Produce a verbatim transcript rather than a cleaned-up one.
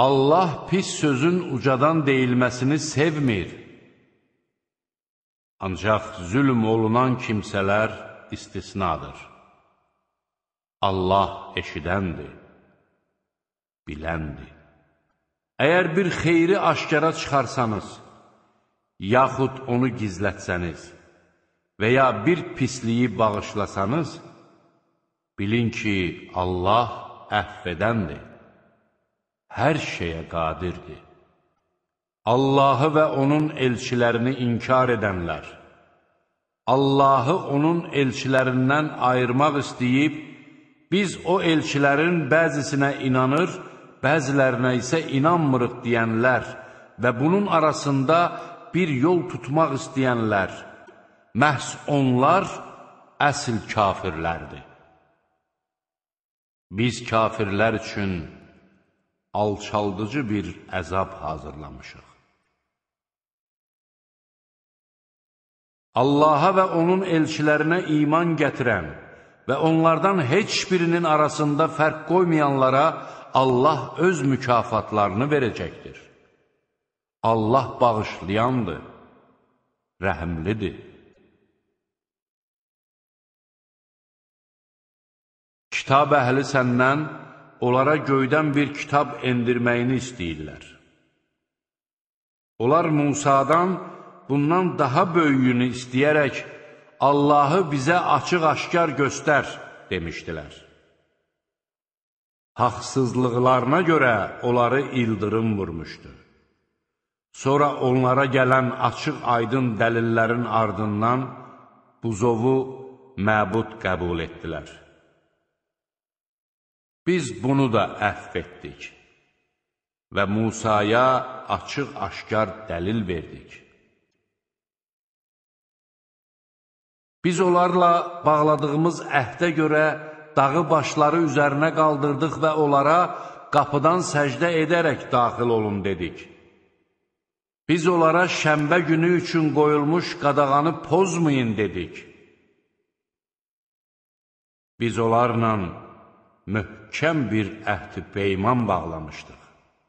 Allah pis sözün ucadan deyilməsini sevmir. Ancaq zülm olunan kimsələr istisnadır. Allah eşidəndir, biləndir. Əgər bir xeyri aşkara çıxarsanız, yaxud onu gizlətsəniz və ya bir pisliyi bağışlasanız, bilin ki, Allah əhv edəndir, hər şeyə qadirdir. Allahı və onun elçilərini inkar edənlər, Allahı onun elçilərindən ayırmaq istəyib, biz o elçilərin bəzisinə inanır, bəzilərinə isə inanmırıq deyənlər və bunun arasında bir yol tutmaq istəyənlər, məhz onlar əsl kafirlərdir. Biz kafirlər üçün alçaldıcı bir əzab hazırlamışıq. Allaha və onun elçilərinə iman gətirən və onlardan heç birinin arasında fərq qoymayanlara Allah öz mükafatlarını verəcəkdir. Allah bağışlayandır, rəhimlidir. Kitab əhli səndən onlara göydən bir kitab endirməyini istəyirlər. Onlar Musadan bundan daha böyüyünü istəyərək, Allahı bizə açıq-aşkar göstər, demişdilər. Haqsızlıqlarına görə onları ildırım vurmuşdu. Sonra onlara gələn açıq-aydın dəlillərin ardından buzovu məbud qəbul etdilər. Biz bunu da əhv etdik və Musaya açıq-aşkar dəlil verdik. Biz onlarla bağladığımız əhdə görə dağı başları üzərinə qaldırdıq və onlara qapıdan səcdə edərək daxil olun dedik. Biz onlara şənbə günü üçün qoyulmuş qadağanı pozmayın dedik. Biz onlarla möhkəm bir əhd-i peyman bağlamışdıq.